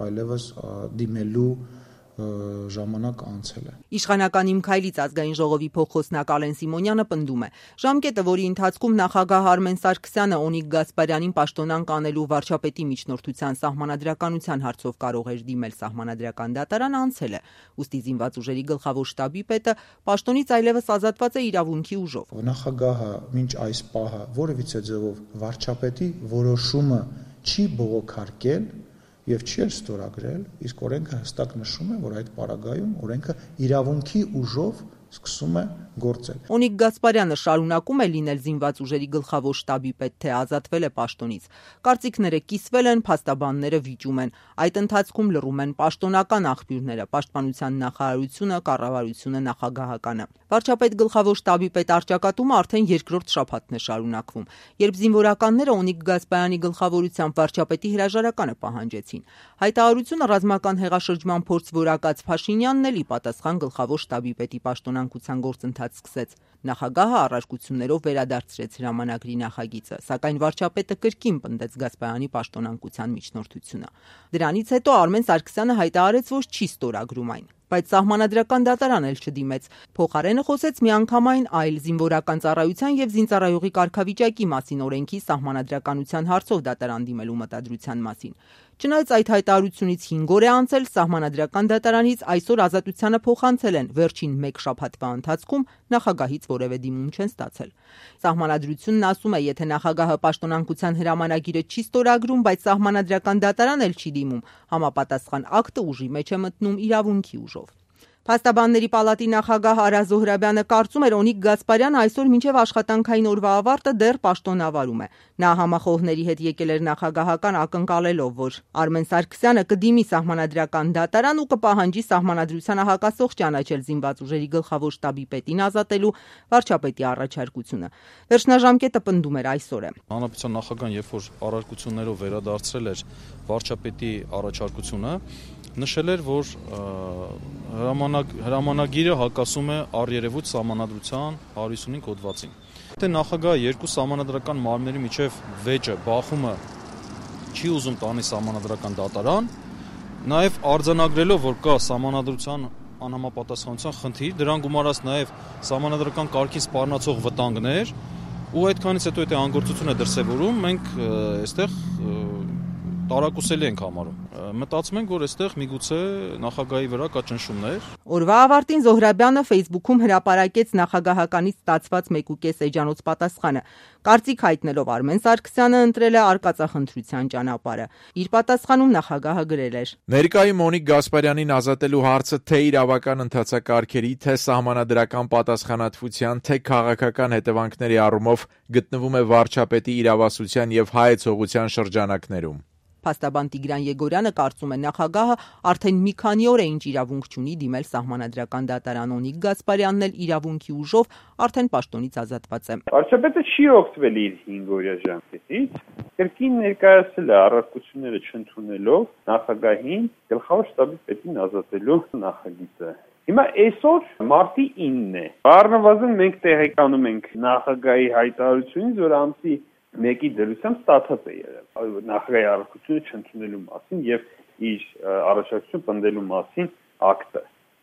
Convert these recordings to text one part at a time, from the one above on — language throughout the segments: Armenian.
Այլևս դիմելու ժամանակ անցել է։ Իշխանական Իմ քայլից ազգային ժողովի փոխխոսնակ Ալեն Սիմոնյանը պնդում է. ժամկետը, որի ընթացքում նախագահ Արմեն Սարգսյանը Օնիկ Գասպարյանին պաշտոնանկ անելու վարչապետի միջնորդության սահմանադրականության հարցով կարող էր դիմել սահմանադրական դատարան, անցել է։ Ուստի զինված ուժերի գլխավոր շտաբի պետը պաշտոնից այլևս ազատված է իրավունքի ուժով։ Նախագահը մինչ այս պահը որևիցե ձևով վարչապետի որոշումը չի բողոքարկել եւ չի էլ ստորագրել, իսկ օրենքը հստակ նշում է, որ այդ պարագայում օրենքը իրավունքի ուժով սկսում է գործել։ Օնիկ Գասպարյանը շարունակում է լինել զինված ուժերի գլխավոր շտաբի պետ, թե ազատվել է պաշտոնից։ Կարծիքները կիսվել են, փաստաբանները վիճում են։ Այդ ընթացքում լռում են պաշտոնական աղբյուրները, պաշտպանության նախարարությունը, կառավարությունը, նախագահականը։ Վարչապետ գլխավոր շտաբի պետ առճակատումը արդեն երկրորդ շաբաթն է շարունակվում, երբ զինվորականները Օնիկ Գասպարյանի գլխավորությամբ վարչապետի հրաժարականը պահանջեցին։ Հայտարարությունը ռազմական հեղաշրջման փորձ որակած Փաշինյանն էլ ի պատասխան գլխավոր շտաբի պետի պաշտոնանկության գործընթաց սկսեց։ Նախագահը առարկություններով վերադարձրեց հրամանագրի նախագիծը, սակայն վարչապետը կրկին պնդեց Գասպարյանի պաշտոնանկության միջնորդությունը։ Դրանից հետո Արմեն Սարգսյանը հայտարարեց, որ չի ստորագրում այն։ Բայց սահմանադրական դատարան էլ չդիմեց։ Փոխարենը խոսեց միանգամայն այլ զինվորական ծառայության եւ զինծառայողի կարգավիճակի մասին օրենքի սահմանադրականության հարցով դատարան դիմելու մտադրության մասին։ Չնայած այդ հայտարարությունից 5 օր է անցել, սահմանադրական դատարանից այսօր ազատությանը փոխանցել են, վերջին 1 շաբաթվա ընթացքում նախագահից որևէ դիմում չեն ստացել։ Սահմանադրությունն ասում է, եթե նախագահը պաշտոնանկության հրամանագիրը չի ստորագրում, բայց սահմանադրական դատարան էլ չի դիմում, համապատասխան ակտը ուժի մեջ է մտնում իրավունքի ուժով։ Փաստաբանների պալատի նախագահ Արա Զոհրաբյանը կարծում էր Օնիկ Գասպարյանը այսօր մինչև աշխատանքային օրվա ավարտը դեռ պաշտոնավարում է։ Նա համախոհների հետ եկել էր նախագահական ակնկալելով, որ Արմեն Սարգսյանը կդիմի սահմանադրական դատարան ու կպահանջի սահմանադրությանը հակասող ճանաչել զինված ուժերի գլխավոր շտաբի պետին ազատելու վարչապետի առաջարկությունը։ Վերջնաժամկետը պնդում էր այսօր է։ Հանրապետության նախագահան երբ որ առարկություններով վերադարձրել էր վարչապետի առաջարկությունը, նշել էր, որ հրամանագիրը հակասում է առերևույթ սահմանադրության 155 հոդվածին։ Եթե նախագահը երկու սահմանադրական մարմինների միջև վեճը, բախումը չի ուզում տանի սահմանադրական դատարան, նաև արձանագրելով, որ կա սահմանադրության անհամապատասխանության խնդիր, դրան գումարած նաև սահմանադրական կարգին սպառնացող վտանգներ, ու այդքանից հետո եթե անգործություն է դրսևորում, մենք այստեղ տարակուսելի ենք համարում։ Մտածում ենք, որ այստեղ միգուցե նախագահի վրա կա ճնշումներ։ Օրվա ավարտին Զոհրաբյանը Facebook-ում հրապարակեց նախագահականից ստացված 1.5 էջանոց պատասխանը։ Կարծիք հայտնելով Արմեն Սարգսյանը ընտրել է արկածախնդրության ճանապարհը։ Իր պատասխանում նախագահը գրել էր. Ներկայում Օնիկ Գասպարյանին ազատելու հարցը թե իրավական ընթացակարգերի, թե սահմանադրական պատասխանատվության, թե քաղաքական հետևանքների առումով գտնվում է վարչապետի իրավասության եւ հայեցողության շրջանակներում։ Փաստաբան Տիգրան Եգորյանը կարծում է նախագահը արդեն մի քանի օր է ինչ իրավունք չունի դիմել սահմանադրական դատարան, Օնիկ Գասպարյանն էլ իրավունքի ուժով արդեն պաշտոնից ազատված է։ Վարչապետը չի օգտվել իր 5-օրյա ժամկետից, կրկին ներկայացել է առարկությունները չընդունելով նախագահին գլխավոր շտաբի պետին ազատելու նախագիծը։ Հիմա այսօր մարտի 9-ն է։ Առնվազն մենք տեղեկանում ենք նախագահի հայտարարությունից, որ ամսի 1-ի դրությամբ ստացած է եղել նախագահի առարկությունը չընդունելու մասին եւ իր առաջարկություն պնդելու մասին ակտը։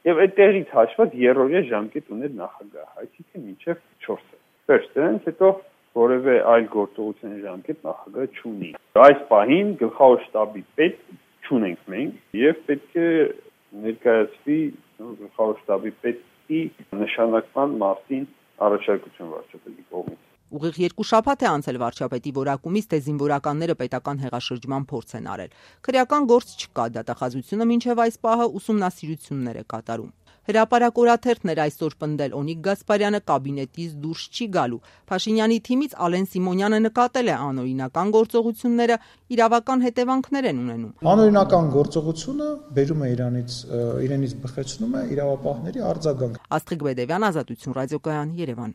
Եվ այդտեղից հաշված երրորդյա ժամկետ ուներ նախագահը, այսինքն մինչև 4-ը։ Վերջ դրանից հետո որևէ այլ գործողության ժամկետ նախագահը չունի։ Այս պահին գլխավոր շտաբի պետ չունենք մենք եւ պետք է ներկայացվի գլխավոր շտաբի պետի նշանակման մասին առաջարկություն վարչապետի կողմից։ Ուղիղ 2 շաբաթ է անցել վարչապետի որակումից, թե զինվորականները պետական հեղաշրջման փորձ են արել։ Քրեական գործ չկա, դատախազությունը մինչև այս պահը ուսումնասիրություններ է կատարում։ Հրապարակ օրաթերթն էր այսօր պնդել Օնիկ Գասպարյանը կաբինետից դուրս չի գալու։ Փաշինյանի թիմից Ալեն Սիմոնյանը նկատել է անօրինական գործողությունները իրավական հետևանքներ են ունենում։ Անօրինական գործողությունը բերում է իրենից բխեցնում է իրավապահների արձագանք։ Աստղիկ Բեդևյան, Ազատություն ռադիոկայան, Երևան։